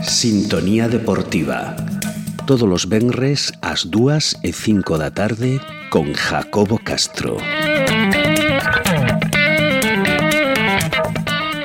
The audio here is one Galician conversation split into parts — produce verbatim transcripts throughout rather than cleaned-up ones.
Sintonía Deportiva. Todos os venres ás dúas e cinco da tarde con Jacobo Castro.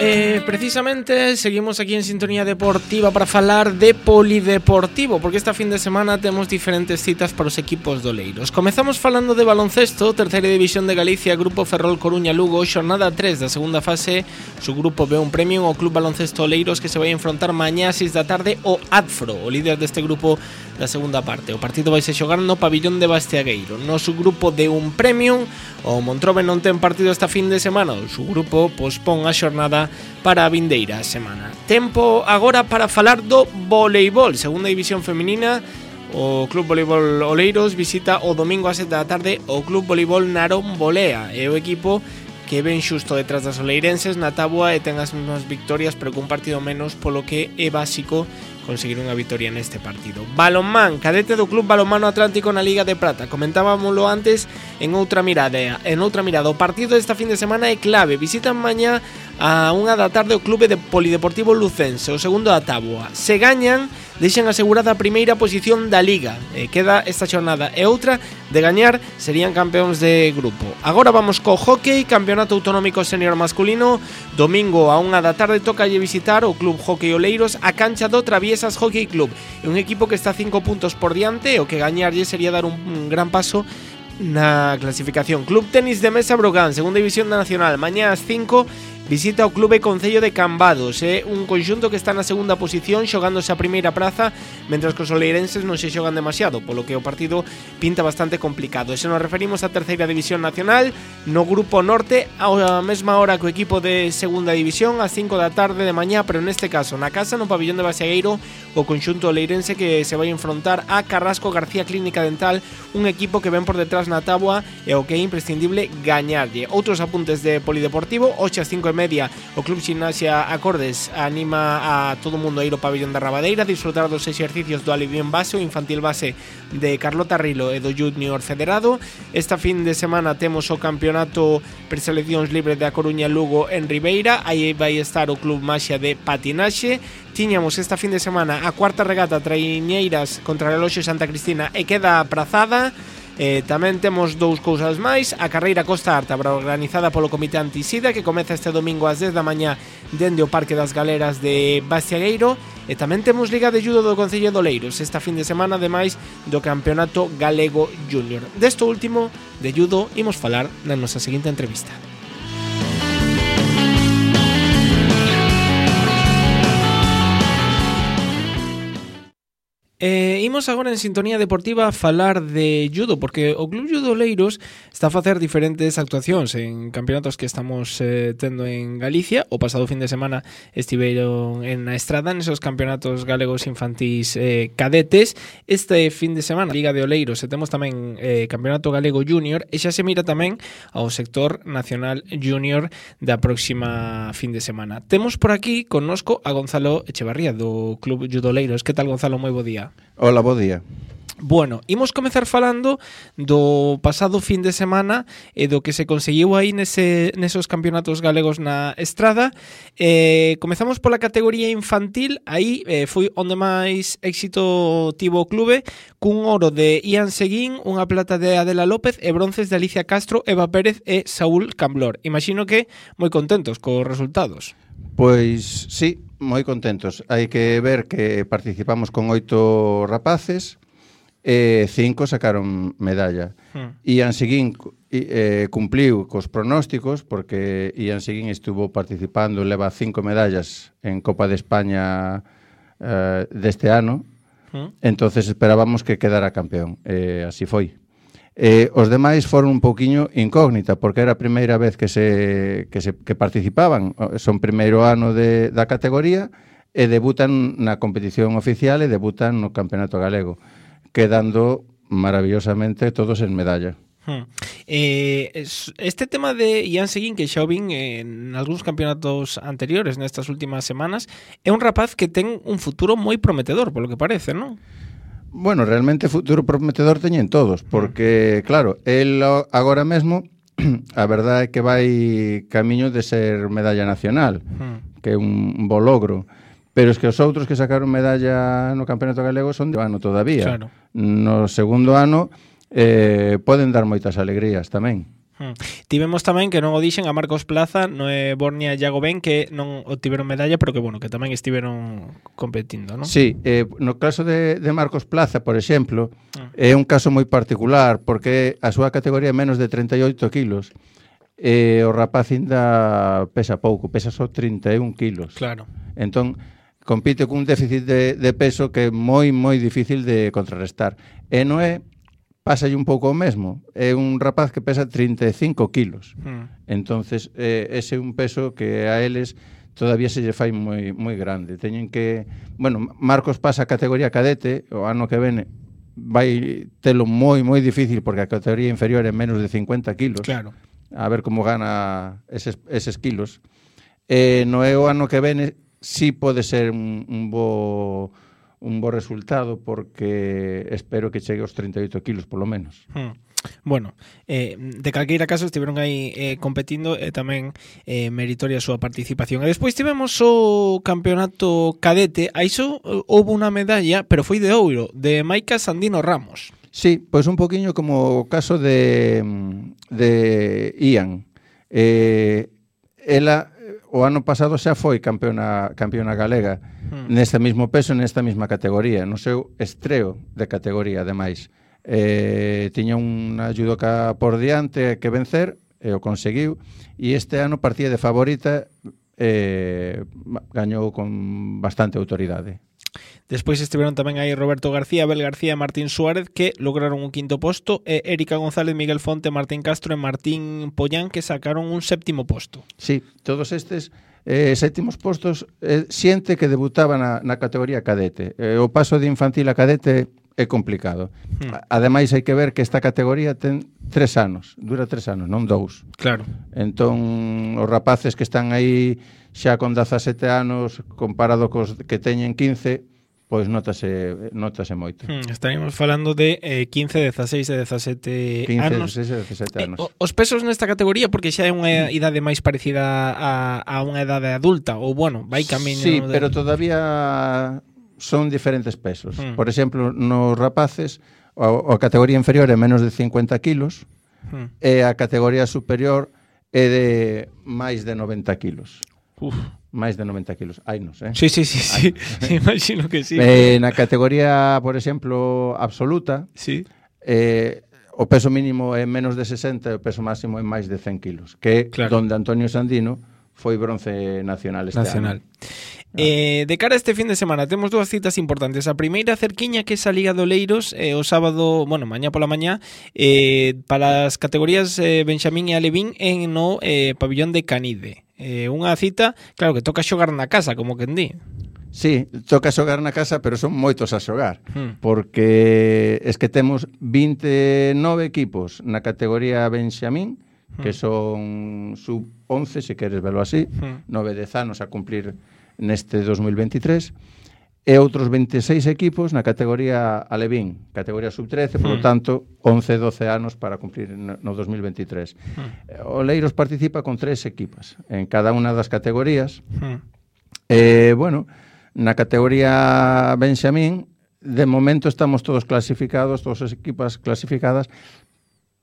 Eh, precisamente seguimos aquí en Sintonía Deportiva para falar de polideportivo, porque esta fin de semana temos diferentes citas para os equipos doleiros. Comezamos falando de baloncesto, terceira división de Galicia, Grupo Ferrol Coruña Lugo, xornada tres da segunda fase. Su grupo ve un premio ao Club Baloncesto Oleiros, que se vai a enfrontar mañá ás seis da tarde o Adfro, o líder deste grupo da segunda parte. O partido vai se xogar no pabillón de Bastiagueiro. No su grupo de un premio, o Montrobe non ten partido esta fin de semana, o su grupo pospón a xornada para a vindeira semana. Tempo agora para falar do voleibol, segunda división feminina. O Club Voleibol Oleiros visita o domingo a sete da tarde o Club Voleibol Narón Bolea. É o equipo que ven xusto detrás das oleirenses na táboa e ten as mesmas victorias, pero cun partido menos, polo que é básico conseguir unha victoria neste partido. Balonmán, cadete do Club Balonmano Atlántico na Liga de Prata. Comentábamoslo antes en outra mirada. En outra mirada, o partido desta fin de semana é clave. Visitan mañá a unha da tarde o Clube de Polideportivo Lucense, o segundo da táboa. Se gañan, deixan asegurada a primeira posición da Liga. E queda esta xornada e outra de gañar, serían campeóns de grupo. Agora vamos co hockey, Campeonato Autonómico Senior Masculino. Domingo a unha da tarde tocalle visitar o Club Hockey Oleiros a cancha do Traviesas Hockey Club. É un equipo que está cinco puntos por diante, o que gañarlle sería dar un, un gran paso na clasificación. Club Tenis de Mesa Brogán, segunda división da Nacional, mañá ás cinco visita o Clube Concello de Cambados. É un conxunto que está na segunda posición xogándose a primeira praza, mentras que os oleirenses non se xogan demasiado, polo que o partido pinta bastante complicado. E se nos referimos á terceira división nacional, no Grupo Norte, á mesma hora que o equipo de segunda división, ás cinco da tarde de mañá, pero neste caso na casa, no pabillón de Bastiagueiro, o conxunto oleirense que se vai a enfrontar a Carrasco García Clínica Dental, un equipo que ven por detrás na táboa e o que é imprescindible gañarlle. Outros apuntes de polideportivo, hoxe ás cinco e media o Club Gimnasia Acordes anima a todo o mundo a ir ao pabillón da Rabadeira, disfrutar dos exercicios do alivión base, o infantil base de Carlota Rilo e do Junior Federado. Esta fin de semana temos o campeonato preseleccións libres de A Coruña Lugo en Ribeira, aí vai estar o Club Maxia de patinaxe. Tiñamos esta fin de semana a cuarta regata traiñeiras contra o Reloxo Santa Cristina e queda aprazada. Eh, tamén temos dous cousas máis. A carreira Costa Arta, organizada polo Comité Antisida, que comeza este domingo ás dez da mañá dende o Parque das Galeras de Bastiagueiro. E tamén temos Liga de Judo do Concello de Oleiros esta fin de semana, ademais do Campeonato Galego Júnior. Desto último, de judo, imos falar na nosa seguinte entrevista. Eh, imos agora en Sintonía Deportiva a falar de judo, porque o Club Judo Oleiros está a facer diferentes actuacións en campeonatos que estamos eh, tendo en Galicia. O pasado fin de semana estiveron en a Estrada nesos campeonatos galegos infantís eh, cadetes. Este fin de semana Liga de Oleiros e temos tamén eh, Campeonato Galego Júnior, e xa se mira tamén ao sector nacional júnior da próxima fin de semana. Temos por aquí connosco a Gonzalo Echevarría do Club Judo Oleiros. Que tal, Gonzalo? Moi bo día. Hola, bo día. Bueno, imos comezar falando do pasado fin de semana e do que se conseguiu aí nese, nesos campeonatos galegos na Estrada. Eh, comezamos pola categoría infantil. Aí eh, foi onde máis éxito tivo o clube, cun oro de Ian Seguín, unha plata de Adela López e bronces de Alicia Castro, Eva Pérez e Saúl Camblor. Imagino que moi contentos cos resultados. Pois sí, moi contentos. Hai que ver que participamos con oito rapaces e cinco sacaron medalla. Hmm. Ian Seguín eh, cumpliu cos pronósticos, porque Ian Seguín estuvo participando, leva cinco medallas en Copa de España eh, deste ano. Hmm. Entonces esperábamos que quedara campeón. Eh, así foi. Eh, os demais foron un pouquiño incógnita, porque era a primeira vez que se que se que participaban. Son primeiro ano de, da categoría e debutan na competición oficial e debutan no Campeonato Galego, quedando maravillosamente todos en medalla. Hmm. Eh, este tema de Ian Seguín, que xa o vin en algúns campeonatos anteriores nestas últimas semanas, é un rapaz que ten un futuro moi prometedor, polo que parece, non? Bueno, realmente futuro prometedor teñen todos, porque, claro, el agora mesmo a verdade é que vai camiño de ser medalla nacional, mm. que é un bo logro. Pero es que os outros que sacaron medalla no Campeonato Galego son de ano todavía. Claro. No segundo ano eh, poden dar moitas alegrías tamén. Hmm. Tivemos tamén, que non o dixen, a Marcos Plaza, Noé Bornia e Iago Ben, que non obtiveron medalla, pero que, bueno, que tamén estiveron competindo, non? Sí, eh, no caso de, de Marcos Plaza, por exemplo, hmm. é un caso moi particular, porque a súa categoría é menos de trinta e oito kilos, e o rapaz ainda pesa pouco, pesa só trinta e un kilos. Claro. Entón, compite cun déficit de, de peso que é moi, moi difícil de contrarrestar. E Noé pásalle un pouco o mesmo. É un rapaz que pesa trinta e cinco kilos. Mm. Entonces, eh, ese é un peso que a eles todavía se lle fai moi, moi grande. Teñen que... Bueno, Marcos pasa a categoría cadete, o ano que vene vai telo moi, moi difícil, porque a categoría inferior é menos de cincuenta kilos. Claro. A ver como gana eses, eses kilos. Eh, no é o ano que vene, sí pode ser un, un bo... un bo resultado, porque espero que chegue aos trinta e oito kilos polo menos. Hmm. Bueno, eh, de calqueira caso estiveron aí eh, competindo e tamén eh, meritoria a súa participación. E despois tivemos o campeonato cadete, aí só houve unha medalla, pero foi de ouro, de Maica Sandino Ramos. Sí, pois un poquinho como o caso de, de Ian. Eh, ela o ano pasado xa foi campeona, campeona galega hmm. neste mismo peso, nesta mesma categoría, no seu estreo de categoría, ademais. Eh, tiña unha judoka por diante que vencer, e o conseguiu, e este ano partía de favorita, eh, gañou con bastante autoridade. Despois estiveron tamén aí Roberto García, Abel García e Martín Suárez, que lograron un quinto posto, e Erika González, Miguel Fonte, Martín Castro e Martín Pollán, que sacaron un séptimo posto. Sí, todos estes eh, séptimos postos eh, xente que debutaba na, na categoría cadete. Eh, o paso de infantil a cadete é complicado. Hmm. Ademais, hai que ver que esta categoría ten tres anos, dura tres anos, non dous. Claro. Entón, os rapaces que están aí xa con dezasete anos, comparado cos que teñen quince, pois notase, notase moito. Hmm, estaríamos falando de eh, quince, dezaseis e dezasete quince, anos. dezasseis e dezasete anos. Eh, os pesos nesta categoría, porque xa é unha idade máis parecida a, a unha idade adulta, ou bueno, vai camiño... Sí, de... pero todavía son diferentes pesos. Hmm. Por exemplo, nos rapaces, a, a categoría inferior é menos de cincuenta kilos, hmm. e a categoría superior é de máis de noventa kilos. Uf. Máis de noventa kilos. Hai nos, eh? Sí, sí, sí, sí. Imagino que sí. Eh, na categoría, por exemplo, absoluta, sí. eh, o peso mínimo é menos de sesenta e o peso máximo é máis de cen kilos, que claro. Donde Antonio Sandino foi bronce nacional este nacional. ano. Eh, de cara a este fin de semana temos dúas citas importantes. A primeira cerquiña, que é a Liga de Oleiros, eh, o sábado, bueno, mañá pola mañá, eh, para as categorías eh, Benxamín e Alevín en no eh, pabillón de Canide. Eh, unha cita, claro, que toca xogar na casa, como quen di. Sí, toca xogar na casa, pero son moitos a xogar, hmm. porque es que temos vinte e nove equipos na categoría Benxamín, hmm. que son sub once, se queres verlo así, hmm. nove dez anos a cumplir neste dos mil veintitrés, e outros veintiséis equipos na categoría Alevín, categoría sub trece, por lo tanto, once doce anos para cumplir no dos mil veintitrés. Mm. Oleiros participa con tres equipas en cada unha das categorías. Mm. Eh, bueno, na categoría Benxamín, de momento estamos todos clasificados, todas as equipas clasificadas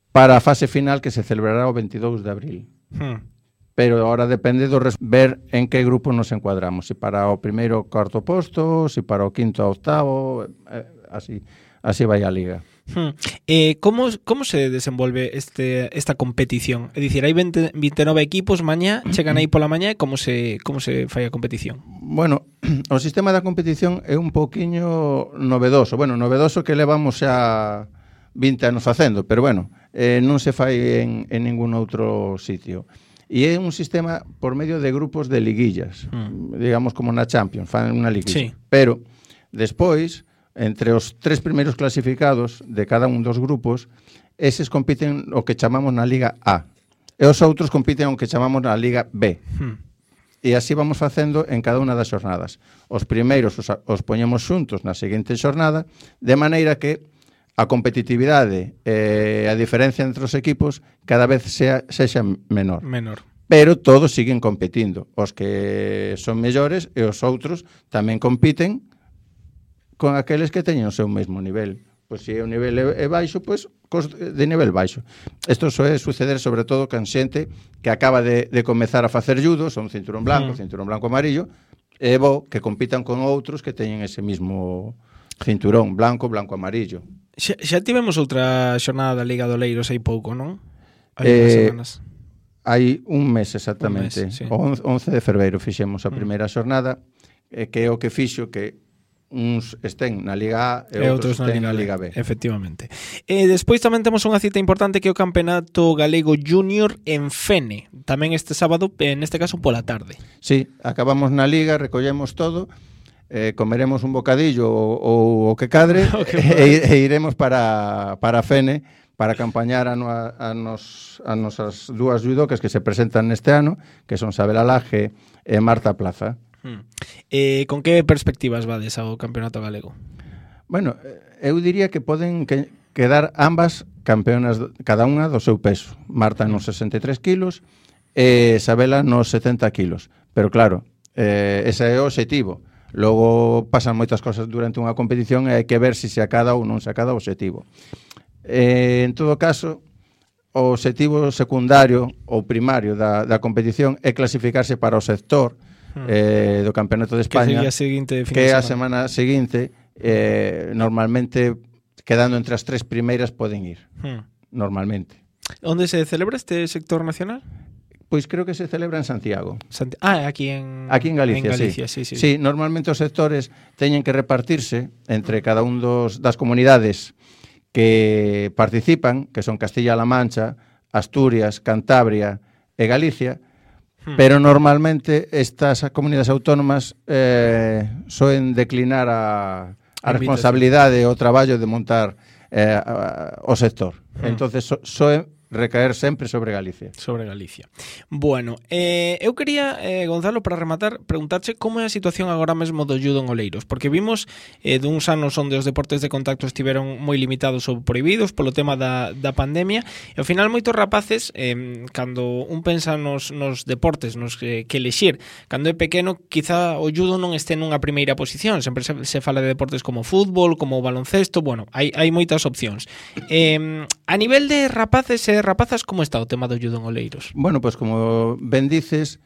para a fase final, que se celebrará o veintidós de abril. Mm. Pero ahora depende do res... ver en que grupo nos encuadramos, se para o primeiro cuarto posto, se para o quinto a octavo, eh, así así vai a liga. Hmm. Eh, como, como se desenvolve este, esta competición? É dicir, hai veinte, vinte e nove equipos, mañá, chegan aí pola mañá, e como se, como se fai a competición? Bueno, o sistema da competición é un poquinho novedoso. Bueno, novedoso que levamos xa vinte anos facendo, pero bueno, eh, non se fai en, en ningún outro sitio. E é un sistema por medio de grupos de liguillas, mm. digamos como na Champions, fan unha liguilla. Sí. Pero, despois, entre os tres primeiros clasificados de cada un dos grupos, eses compiten o que chamamos na Liga A. E os outros compiten o que chamamos na Liga B. Mm. E así vamos facendo en cada unha das xornadas. Os primeiros os, os poñemos xuntos na seguinte xornada, de maneira que a competitividade e a diferencia entre os equipos cada vez sea, sexa menor. Menor. Pero todos siguen competindo. Os que son mellores e os outros tamén compiten con aqueles que teñen o seu mesmo nivel. Pois se o nivel é baixo, pois de nivel baixo. Isto só é suceder sobre todo con xente que acaba de, de comezar a facer judo, son cinturón blanco, mm. cinturón blanco amarillo, e bo que compitan con outros que teñen ese mismo cinturón blanco, blanco amarillo. Xa, xa tivemos outra xornada da Liga de Oleiros hai pouco, non? Hai eh, semanas. Hai un mes exactamente. Un mes, sí. O once de febreiro fixemos a primeira xornada, eh, que é o que fixo que uns estén na Liga A e, e outros, outros estén na Liga, na Liga B. Efectivamente. E despois tamén temos unha cita importante que é o Campeonato Galego Júnior en Fene. Tamén este sábado, neste caso pola tarde. Sí, acabamos na Liga, recollemos todo, eh, comeremos un bocadillo ou o que cadre e, e iremos para, para Fene para acompañar a, no, a, nos, a nosas dúas judocas que se presentan neste ano, que son Sabela Laje e Marta Plaza. Hmm. Eh, con que perspectivas vades ao Campeonato Galego? Bueno, eu diría que poden que, quedar ambas campeonas, cada unha do seu peso. Marta nos sesenta e tres kilos e Sabela nos setenta kilos. Pero claro, eh, ese é o obxectivo. Logo pasan moitas cosas durante unha competición e hai que ver se se acada ou non se acada o obxectivo. Eh, en todo caso, o obxectivo secundario ou primario da, da competición é clasificarse para o sector hmm. eh, do Campeonato de España, que, seguinte que a semana seguinte eh, normalmente quedando entre as tres primeiras poden ir, hmm. normalmente. Onde se celebra este sector nacional? Pois creo que se celebra en Santiago. Santi- ah, aquí en, aquí en Galicia, en Galicia sí. Sí, sí. Sí, normalmente os sectores teñen que repartirse entre cada un dos, das comunidades que participan, que son Castilla-La Mancha, Asturias, Cantabria e Galicia, hmm. pero normalmente estas comunidades autónomas eh, soen declinar a, a responsabilidade e o traballo de montar eh, a, a, o sector. Hmm. Entonces so, soen recaer sempre sobre Galicia. Sobre Galicia. Bueno, eh, eu quería, eh, Gonzalo, para rematar, preguntarche como é a situación agora mesmo do judo en Oleiros, porque vimos eh, duns anos onde os deportes de contacto estiveron moi limitados ou prohibidos polo tema da, da pandemia, e ao final moitos rapaces, eh, cando un pensa nos, nos deportes nos que, que elexir, cando é pequeno, quizá o judo non este nunha primeira posición, sempre se, se fala de deportes como fútbol, como baloncesto, bueno, hai, hai moitas opcións. Eh, a nivel de rapaces e rapazas, como está o tema do judo en Oleiros? Bueno, pois pues como ben dices,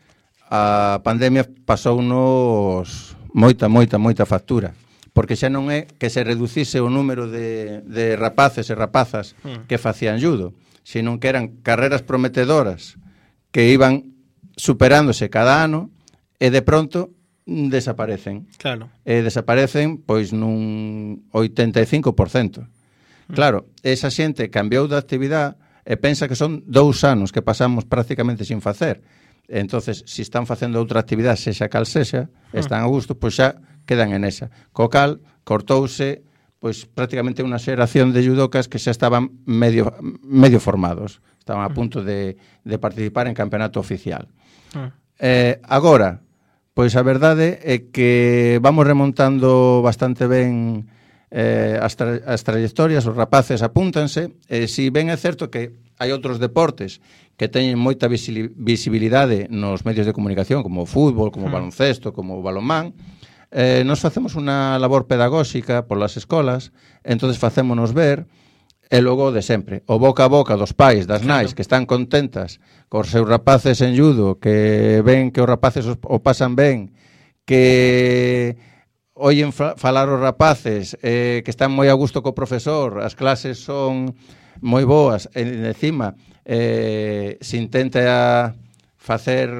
a pandemia pasounos moita, moita, moita factura, porque xa non é que se reducise o número de, de rapaces e rapazas mm. que facían judo, sino que eran carreras prometedoras que iban superándose cada ano e de pronto desaparecen. Claro. E desaparecen pois nun oitenta e cinco por cento. Mm. Claro, esa xente cambiou de actividade e pensa que son dous anos que pasamos prácticamente sin facer. Entonces, se si están facendo outra actividade, sexa cal sexa, están a gusto, pois xa quedan en esa. Co cal, cortouse pois prácticamente unha xeración de judocas que xa estaban medio, medio formados. Estaban a punto de, de participar en campeonato oficial. Eh, agora, pois a verdade é que vamos remontando bastante ben Eh, as, tra as trayectorias, os rapaces apúntanse, e si ben é certo que hai outros deportes que teñen moita visibilidade nos medios de comunicación, como o fútbol, como o baloncesto, como o balonmán, eh, nos facemos unha labor pedagóxica polas escolas, entonces facémonos ver, e logo de sempre, o boca a boca dos pais, das nais, que están contentas cos seus rapaces en judo, que ven que os rapaces os, o pasan ben, que oyen falar os rapaces, eh, que están moi a gusto co profesor, as clases son moi boas, e encima eh, se intenta facer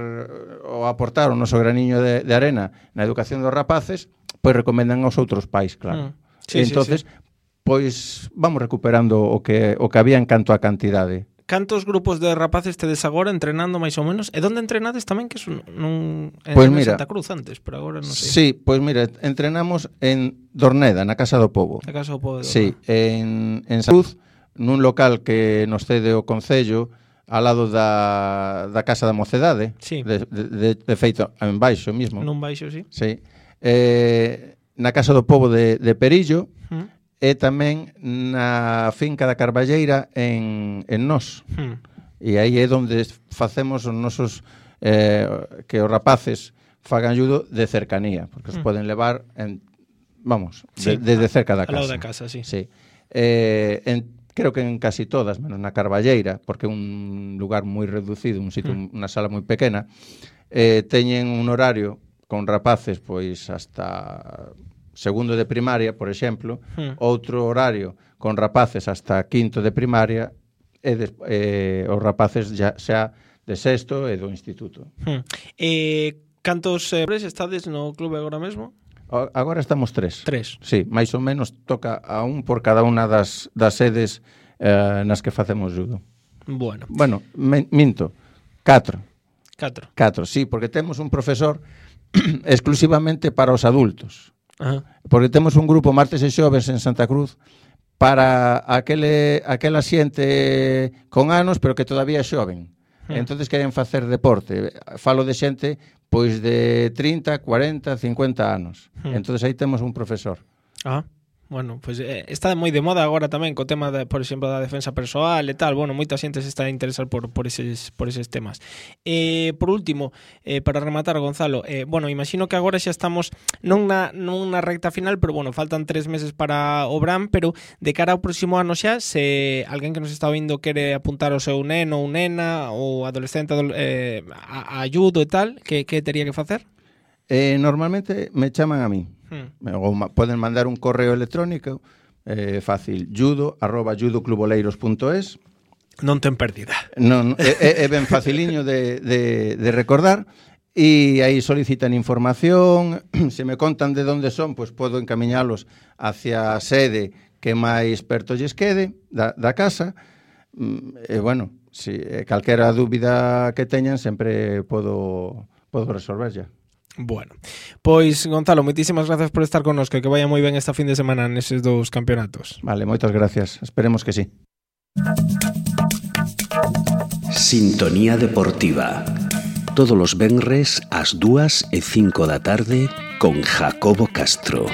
ou aportar o noso graniño de, de arena na educación dos rapaces, pois recomendan aos outros pais, claro. Mm. Sí, entonces, sí, sí. pois vamos recuperando o que o que había en canto a cantidade. Cantos grupos de rapaces tedes agora entrenando máis ou menos? E onde entrenades tamén, que es nun en pues mira, Santa Cruz antes, pero agora non sei. Sí, pois pues mira, entrenamos en Dorneda, na Casa do Pobo. Na Casa do Pobo. Sí, en, en Santa Cruz, nun local que nos cede o Concello, ao lado da, da Casa da Mocedade, sí. de, de, de feito en baixo mismo. Nun baixo, sí. Sí. Eh, na Casa do Pobo de, de Perillo, mm. e tamén na finca da Carballeira en, en Nós. Hmm. E aí é onde facemos os nosos eh, que os rapaces fagan judo de cercanía, porque os hmm. poden levar en, vamos, sí, desde de cerca da casa. Ao lado da casa, sí. Sí. Eh, en, creo que en casi todas, menos na Carballeira, porque é un lugar moi reducido, un sitio, hmm. unha sala moi pequena, eh, teñen un horario con rapaces pois hasta segundo de primaria, por exemplo, hmm. outro horario con rapaces hasta quinto de primaria e de, eh, os rapaces xa, xa de sexto e do instituto. Hmm. Eh, cantos eh, estades no clube agora mesmo? Agora estamos tres. Tres. Sí, máis ou menos toca a un por cada unha das, das sedes eh, nas que facemos judo. Bueno. Bueno, me, minto, catro. Catro. Catro, sí, porque temos un profesor exclusivamente para os adultos. Ajá. Porque temos un grupo martes e xoves en Santa Cruz para aquele, aquela xente con anos, pero que todavía é xoven. Uh-huh. Entonces queren facer deporte. Falo de xente pois de trinta, cuarenta, cincuenta anos. Uh-huh. Entonces aí temos un profesor. Ah. Bueno, pues eh, está moi de moda agora tamén co tema, de, por exemplo, da defensa persoal e tal. Bueno, moita xente se está a interesar por, por, eses, por eses temas. Eh, por último, eh, para rematar, Gonzalo, eh, bueno, imagino que agora xa estamos non na, non na recta final, pero bueno, faltan tres meses para o Bram, pero de cara ao próximo ano xa, se alguén que nos está ouvindo quere apuntar o seu neno ou nena ou adolescente eh, a, a judo e tal, que, que teria que facer? Eh, normalmente me chaman a mí. Hmm. Ou ma, poden mandar un correo electrónico eh, fácil, judo arroba judocluboleiros punto es. Non ten pérdida. Non, é, é ben faciliño de, de, de recordar e aí solicitan información. Se me contan de onde son, pois podo encamiñalos hacia a sede que máis perto lles quede da, da casa. E bueno, si calquera dúbida que teñan sempre podo, podo resolverlla. Bueno, pois Gonzalo, moitísimas gracias por estar connosco e que vaya moi ben esta fin de semana neses dous campeonatos. Vale, moitas gracias, esperemos que sí. Sintonía Deportiva. Todos os venres ás dúas e cinco da tarde con Jacobo Castro.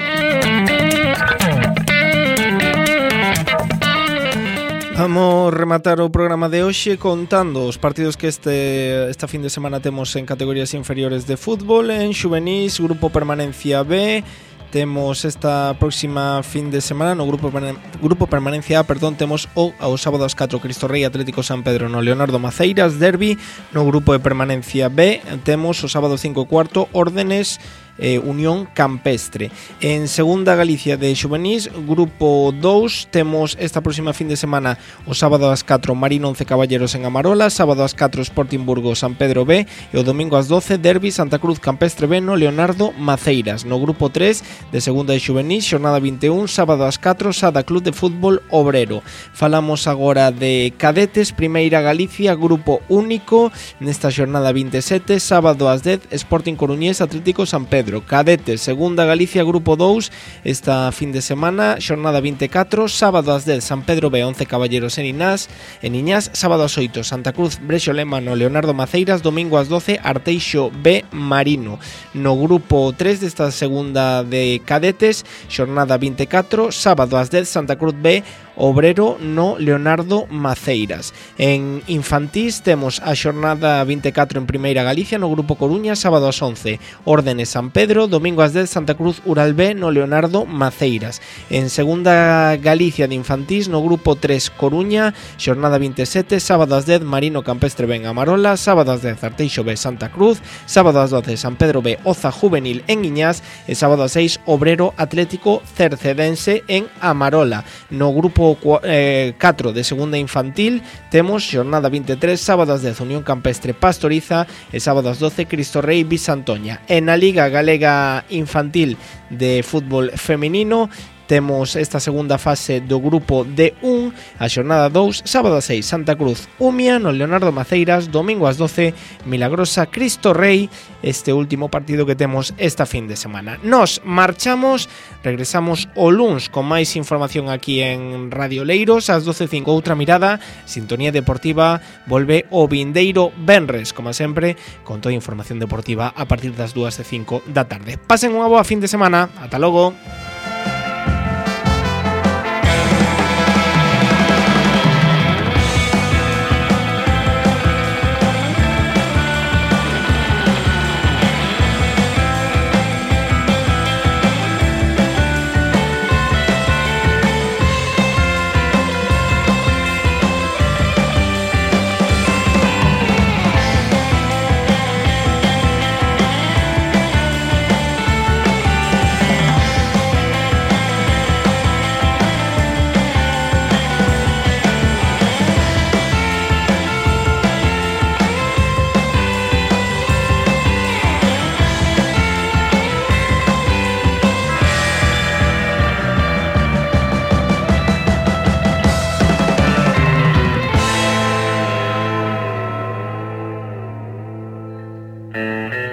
Vamos rematar o programa de hoxe contando os partidos que este esta fin de semana temos en categorías inferiores de fútbol. En xuvenís, Grupo Permanencia B, temos esta próxima fin de semana no Grupo Grupo Permanencia A, perdón, temos o ao sábado ás catro Cristo Rei Atlético San Pedro no Leonardo Maceiras Derbi. No Grupo de Permanencia B temos o sábado cinco e cuarto Órdenes Eh, Unión Campestre. En Segunda Galicia de xuvenís, Grupo dous, temos esta próxima fin de semana o sábado ás catro Marino once Caballeros en Amarola, sábado ás catro Sporting Burgo San Pedro B e o domingo ás doce Derbi Santa Cruz Campestre B no Leonardo Maceiras. No Grupo tres de Segunda de xuvenís, xornada vinte e un, sábado ás catro Sada Club de Fútbol Obrero. Falamos agora de cadetes, Primeira Galicia, Grupo único, nesta xornada vinte e sete, sábado ás dez Sporting Coruñés Atlético San Pedro. Cadetes, Segunda Galicia, Grupo dous, esta fin de semana, xornada vinte e catro, sábado ás dez San Pedro B, once Caballeros en Inás, en Iñás, sábado ás oito Santa Cruz Brexo Lema no Leonardo Maceiras, domingo ás doce Arteixo B Marino. No Grupo tres desta segunda de cadetes, xornada vinte e catro, sábado ás dez Santa Cruz B Obrero no Leonardo Maceiras. En infantís temos a xornada vinte e catro en Primeira Galicia no Grupo Coruña, sábado ás once Órdenes San Pedro, domingo ás dez Santa Cruz Ural B no Leonardo Maceiras. En Segunda Galicia de infantís no Grupo tres Coruña, xornada vinte e sete, sábado ás dez Marino Campestre B en Amarola, sábado ás dez Arteixo B Santa Cruz, sábado ás doce San Pedro B Oza Juvenil en Iñás e sábado ás seis Obrero Atlético Cercedense en Amarola. No Grupo catro de segunda infantil temos xornada vinte e tres, sábado ás dez Unión Campestre Pastoriza e sábado ás doce Cristo Rei Bisantoña. En a Liga Galega Infantil de Fútbol Feminino temos esta segunda fase do grupo D un, a xornada dous, sábado ás seis Santa Cruz Umia no Leonardo Maceiras, domingo ás doce Milagrosa Cristo Rei, este último partido que temos esta fin de semana. Nos marchamos, regresamos o luns con máis información aquí en Radio Leiros, ás doce e cinco outra mirada, Sintonía Deportiva volve o vindeiro venres, como sempre, con toda a información deportiva a partir das dúas e cinco da tarde. Pasen unha boa fin de semana, ata logo. Música